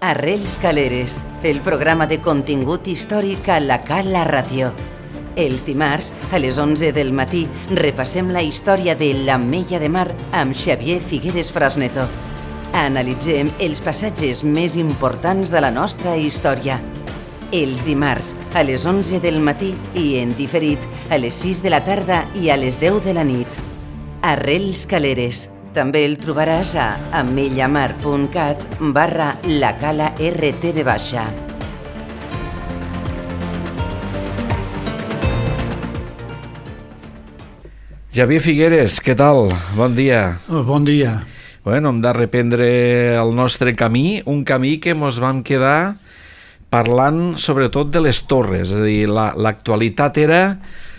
Arrels Caleres, el programa de contingut històric a la Cala Ràdio. Els dimarts, a les 11 del matí, repassem la història de l'Ametlla de Mar amb Xavier Figueres Frasneto. Analitzem els passatges més importants de la nostra història. Els dimarts, a les 11 del matí i en diferit, a les 6 de la tarda i a les 10 de la nit. Arrels Caleres. També el trobaràs a ametllamar.cat/lacala-rtv. Xavier Figueres, què tal? Bon dia. Bon dia. Bueno, hem de reprendre el nostre camí, un camí que mos vam quedar parlant sobretot de les torres, és a dir, l'actualitat era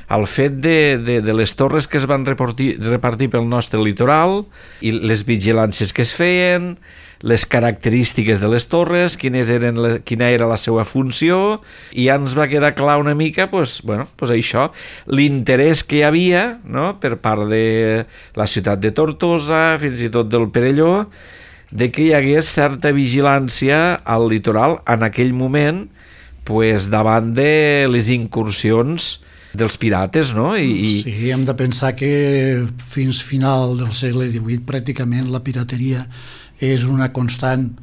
el fet de les torres que es van repartir pel nostre litoral i les vigilàncies que es feien, les característiques de les torres, quina era la seva funció, i ja ens va quedar clar una mica això, l'interès que hi havia, no?, per part de la ciutat de Tortosa, fins i tot del Perelló, de que hi hagués certa vigilància al litoral en aquell moment davant de les incursions dels pirates, no? Sí, hem de pensar que fins final del segle XVIII pràcticament la pirateria és una constant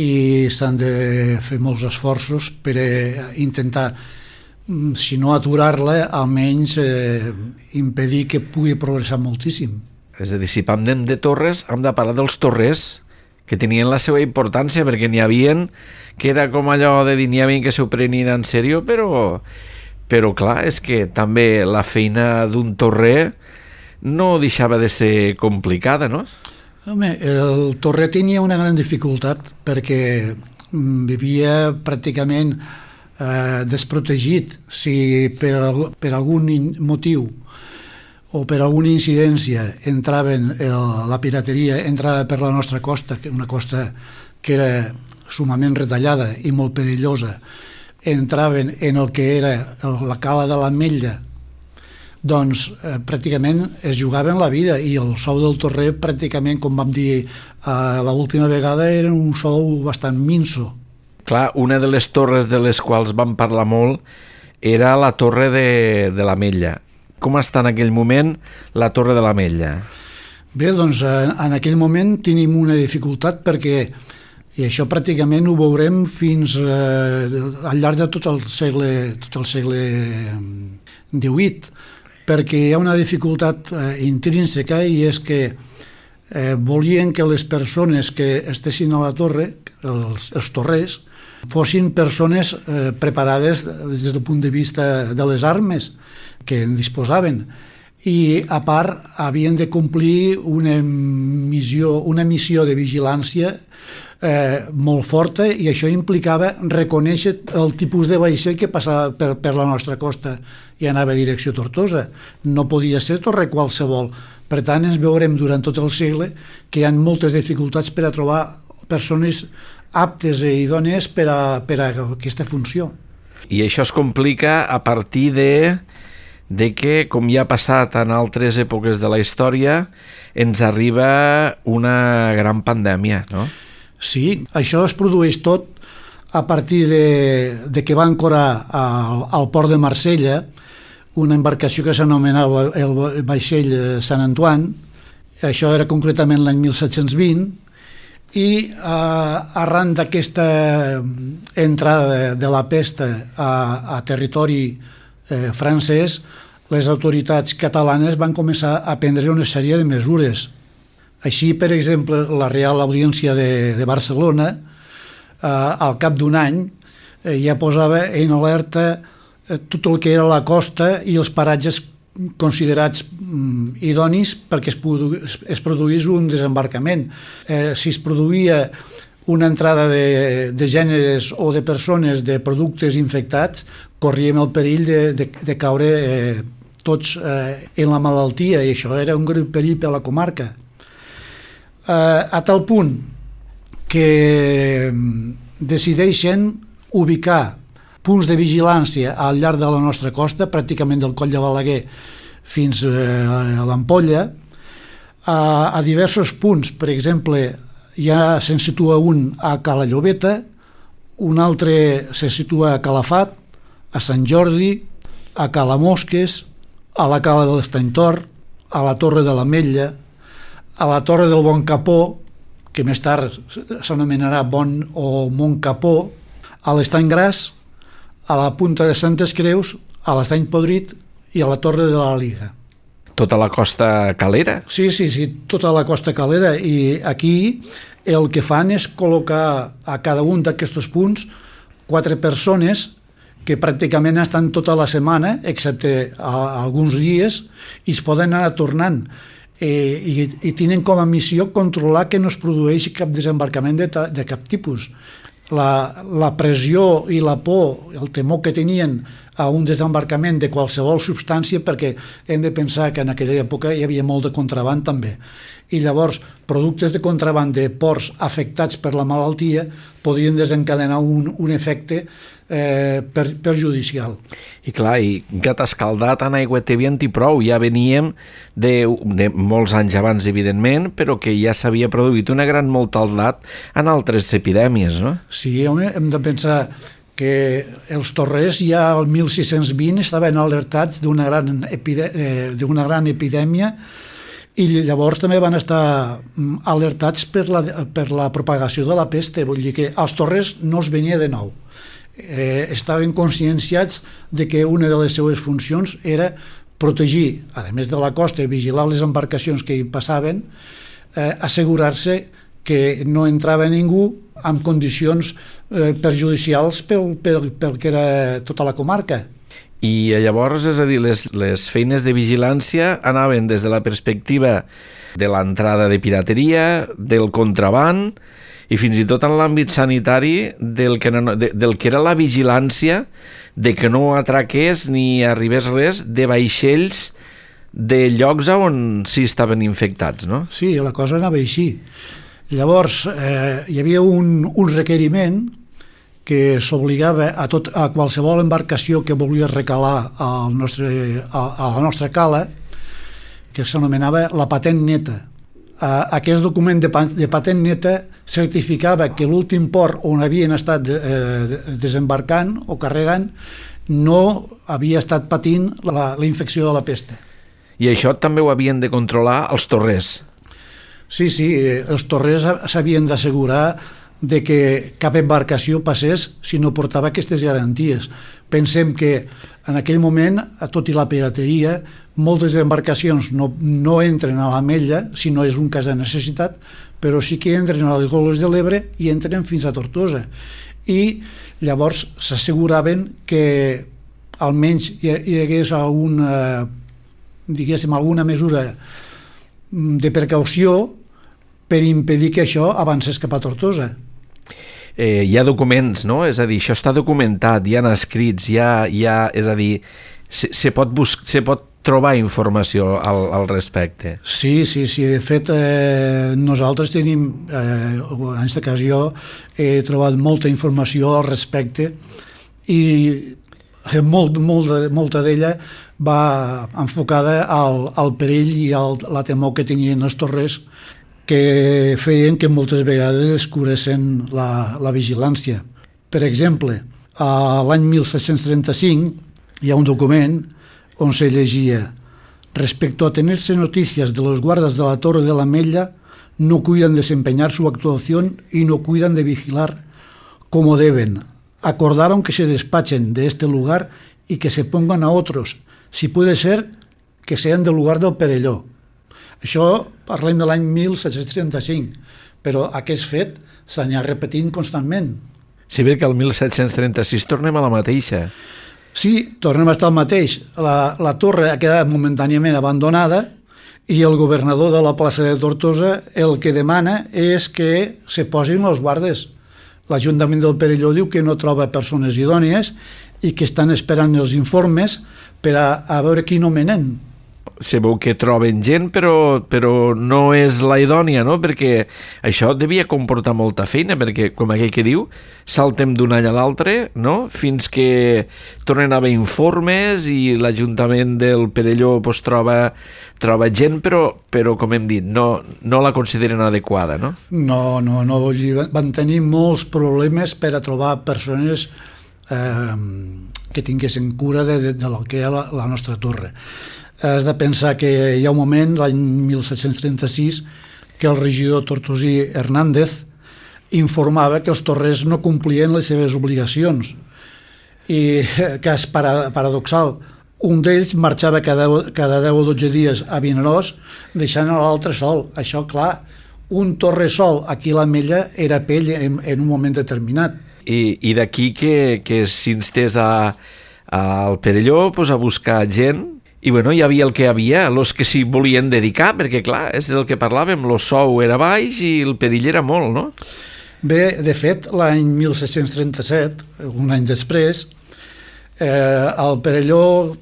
i s'han de fer molts esforços per intentar, si no aturar-la, almenys impedir que pugui progressar moltíssim. És a dir, si parlem de torres, hem de parlar dels torrers, que tenien la seva importància, perquè n'hi havien que era com allò de dir, n'hi havia que s'ho prenien en sèrio, però clar, és que també la feina d'un torrer no deixava de ser complicada, no? Home, el torrer tenia una gran dificultat perquè vivia pràcticament desprotegit. Si per algun motiu o per alguna incidència la pirateria entrava per la nostra costa, una costa que era sumament retallada i molt perillosa, entraven en el que era la cala de l'Ametlla, doncs pràcticament es jugaven la vida, i el sou del torrer pràcticament, com vam dir l'última vegada, era un sou bastant minso. Clar, una de les torres de les quals vam parlar molt era la torre de l'Ametlla. Com està en aquell moment la torre de l'Ametlla? Bé, doncs en aquell moment tenim una dificultat perquè, i això pràcticament ho veurem fins al llarg de tot el segle XVIII, perquè hi ha una dificultat intrínseca, i és que volien que les persones que estessin a la torre, els torrers, fossin persones preparades des del punt de vista de les armes que en disposaven, i a part havien de complir una missió de vigilància molt forta, i això implicava reconèixer el tipus de vaixell que passava per la nostra costa i anava a direcció Tortosa. No podia ser torre qualsevol. Per tant, ens veurem durant tot el segle que hi ha moltes dificultats per a trobar persones aptes i idònies per a aquesta funció. I això es complica a partir de que, com ja ha passat en altres èpoques de la història, ens arriba una gran pandèmia, no? Sí, això es produeix tot a partir de que va ancorar al port de Marsella una embarcació que s'anomenava el vaixell Sant Antoine. Això era concretament l'any 1720, i arran d'aquesta entrada de la pesta a territori francès, les autoritats catalanes van començar a prendre una sèrie de mesures. Així, per exemple, la Real Audiència de Barcelona, al cap d'un any, ja posava en alerta tot el que era la costa i els paratges considerats idonis perquè es produís un desembarcament. Si es produïa una entrada de gèneres o de persones de productes infectats, corríem el perill de caure tots en la malaltia, i això era un greu perill per a la comarca. A tal punt que decideixen ubicar punts de vigilància al llarg de la nostra costa, pràcticament del Coll de Balaguer fins a l'Ampolla, a diversos punts. Per exemple, ja se'n situa un a Cala Llobeta, un altre se situa a Calafat, a Sant Jordi, a Cala Mosques, a la Cala de l'Estany Tor, a la Torre de l'Ametlla, a la Torre del Bon Capó, que més tard s'anomenarà Bon o Mont Capó, a l'Estany Gras, a la Punta de Santes Creus, a l'Estany Podrit i a la Torre de la Liga. Tota la costa calera? Sí, tota la costa calera, i aquí el que fan és col·locar a cada un d'aquests punts 4 persones que pràcticament estan tota la setmana, excepte alguns dies, i es poden anar tornant. I tenen com a missió controlar que no es produeixi cap desembarcament de cap tipus. La pressió i la por, el temor que tenien a un desembarcament de qualsevol substància, perquè hem de pensar que en aquella època hi havia molt de contraband també, i llavors productes de contraband de ports afectats per la malaltia podien desencadenar un efecte perjudicial. I clar, i gat escaldat en aigua tèbia i prou, ja veníem de molts anys abans, evidentment, però que ja s'havia produït una gran mortaldat en altres epidèmies, no? Sí, home, hem de pensar que els torrers ja al 1620 estaven alertats d'una gran epidèmia, i llavors també van estar alertats per la propagació de la pesta. Vull dir que als torrers no es venia de nou. Estaven conscienciats de que una de les seues funcions era protegir, a més de la costa, vigilar les embarcacions que hi passaven, assegurar-se que no entrava ningú amb condicions perjudicials pel que era tota la comarca. I llavors, és a dir, les feines de vigilància anaven des de la perspectiva de l'entrada de pirateria, del contraband i fins i tot en l'àmbit sanitari del que era la vigilància de que no atraqués ni arribés res de vaixells de llocs on sí estaven infectats, no? Sí, la cosa anava així. Llavors, hi havia un requeriment que s'obligava a qualsevol embarcació que volia recalar a la nostra cala, que s'anomenava la patent neta. Aquest document de patent neta certificava que l'últim port on havien estat desembarcant o carregant no havia estat patint la infecció de la pesta. I això també ho havien de controlar els torrers? Sí, els torrers s'havien d'assegurar de que cap embarcació passés si no portava aquestes garanties. Pensem que en aquell moment, tot i la pirateria, moltes embarcacions no entren a l'Ametlla si no és un cas de necessitat, però sí que entren a les Golfes de l'Ebre i entren fins a Tortosa. I llavors s'asseguraven que almenys hi hagués alguna mesura de precaució per impedir que això avancés cap a Tortosa. Hi ha documents, no? És a dir, això està documentat, hi ha escrits, és a dir, se pot trobar informació al respecte. Sí, de fet nosaltres tenim, en aquesta ocasió he trobat molta informació al respecte i molta d'ella va enfocada al perill i a la temor que tenien els torrers, que feien que moltes vegades escuressen la vigilància. Per exemple, l'any 1735 hi ha un document on se llegia: respecto a tenerse noticias de los guardas de la Torre de l'Ametlla, no cuidan de desempeñar su actuación y no cuidan de vigilar como deben. Acordaron que se despachen de este lugar y que se pongan a otros, si puede ser que sean del lugar del Perelló. Això parlem de l'any 1735, però aquest fet s'anirà repetint constantment. Sí, perquè el 1736 tornem a la mateixa. Sí, tornem a estar el mateix. La torre ha quedat momentàniament abandonada i el governador de la plaça de Tortosa el que demana és que se posin els guardes. L'Ajuntament del Perelló diu que no troba persones idònies i que estan esperant els informes per a veure qui nomenen. se veu que troben gent, però no és la idònia, no? Perquè això devia comportar molta feina, perquè, com aquell que diu, saltem d'un any a l'altre, no? Fins que tornen a haver informes i l'Ajuntament del Perelló pues, troba gent, però com hem dit, no la consideren adequada, no? No, van tenir molts problemes per a trobar persones que tinguessin cura de lo que era la nostra torre. Has de pensar que hi ha un moment, l'any 1736, que el regidor tortosí Hernández informava que els torrers no complien les seves obligacions. I cas paradoxal, un d'ells marxava cada 10 o 12 dies a Vinaròs, deixant l'altre sol. Això, clar, un torrer sol aquí a l'Ametlla era pell en un moment determinat. I d'aquí que s'instés al Perelló pues, a buscar gent, i bueno, hi havia el que hi havia, els que s'hi volien dedicar, perquè clar, és del que parlàvem, el sou era baix i el perill era molt, no? Bé, de fet, l'any 1737, un any després, al Perelló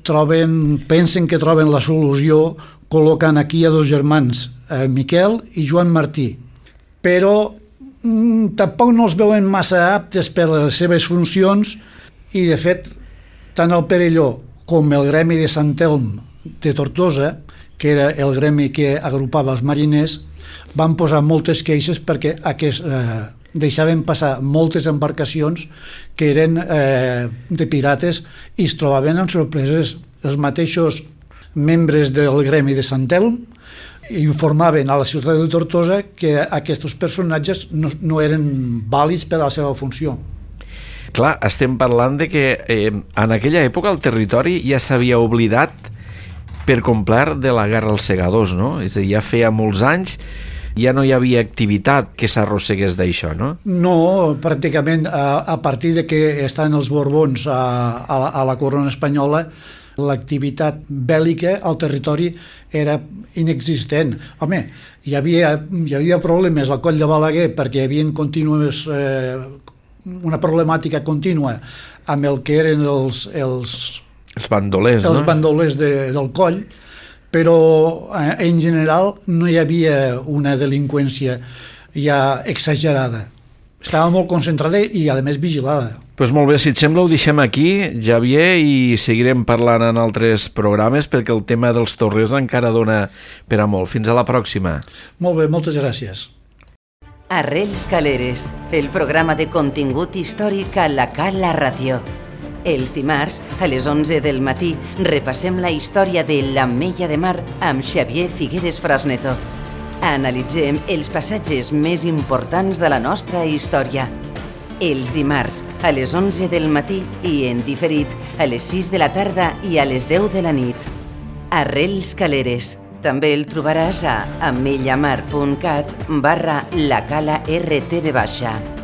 pensen que troben la solució col·locant aquí a dos germans, Miquel i Joan Martí, però tampoc no els veuen massa aptes per les seves funcions i, de fet, tant el Perelló com el gremi de Sant Elm de Tortosa, que era el gremi que agrupava els mariners, van posar moltes queixes perquè deixaven passar moltes embarcacions que eren de pirates i es trobaven amb sorpreses. Els mateixos membres del gremi de Sant Elm informaven a la ciutat de Tortosa que aquests personatges no eren vàlids per a la seva funció. Clar, estem parlant de que en aquella època el territori ja s'havia oblidat per complet de la guerra als segadors, no? És a dir, ja feia molts anys, ja no hi havia activitat que s'arrossegués d'això, no? No, pràcticament a partir de que estan els Borbons a la corona espanyola, l'activitat bèl·lica al territori era inexistent. Home, hi havia problemes al Coll de Balaguer perquè hi havia contínues una problemàtica contínua amb el que eren els bandolers, els bandolers del coll, però en general no hi havia una delinqüència ja exagerada. Estava molt concentrada i, a més, vigilada. Doncs molt bé, si et sembla ho deixem aquí, Xavier, i seguirem parlant en altres programes perquè el tema dels torrers encara dona per a molt. Fins a la pròxima. Molt bé, moltes gràcies. Arrels Caleres, el programa de contingut històric a la Cala Ràdio. Els dimarts, a les 11 del matí, repassem la història de l'Ametlla de Mar amb Xavier Figueres Frasneto. Analitzem els passatges més importants de la nostra història. Els dimarts, a les 11 del matí i en diferit, a les 6 de la tarda i a les 10 de la nit. Arrels Caleres. També el trobaràs a ametllamar.cat/lacala RTV-.